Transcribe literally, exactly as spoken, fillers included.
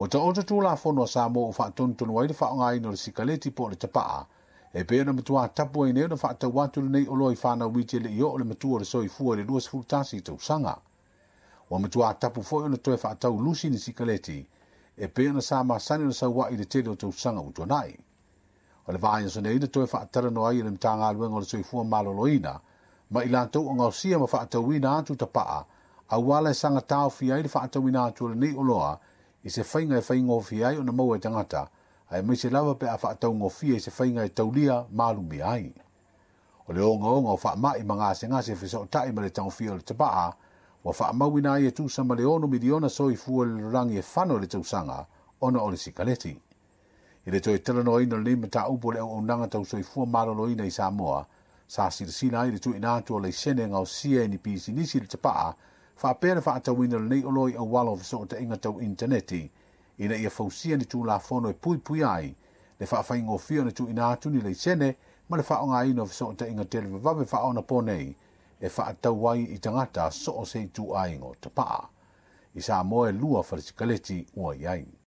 Ua taoto Tulafono a Samoa ua faatonutonu ai le faaaogaina o le sikaleti po o le tapaa, e pei ona matua tapu ai nei ona faatau atu lenei oloa i fanau iti e le i oo le matua o le soifua i le luasefulu tasi tausaga. Ua matua tapu foi ona toe faatau lusi ni sikaleti e pei ona sa masani ona saua'i i le tele o tausaga ua tuanai. O le vaiaso nei na toe faatalanoa ai e le Matagaluega o le Soifua Maloloina ma i latou o gaosia ma faatauina atu tapaa auala e saga taofia ai le faatauina atu o lenei oloa i se faiga e faigofie ai ona maua e tagata, aemaise lava pe a faataugofie i se faiga e taulia malumia ai. O le ogaoga o faamai ma gasegase fesootai ma le tagofia o le tapaa ua faamauina ai e tusa ma le ono miliona soifua le lalolagi e fano i le tausaga ona o le sikaleti. I le toe talanoaina o lenei mataupu o le auaunaga tau soifua maloloina i Samoa, sa silasila ai le tuuina atu o laisene gaosia e ni pisinisi le tapaa faapea le faatauina o lenei oloa i auala o fesootaiga tau initaneti ina ia fausia ni Tulafono e puipui ai le faafaigofie ona tuuina atu ni laisene ma le faaaogaina o fesootaiga televavave faaonaponei e faatau ai i tagata so o se ituaiga o tapaa. I Samoa e lua fale sikaleti ua i ai.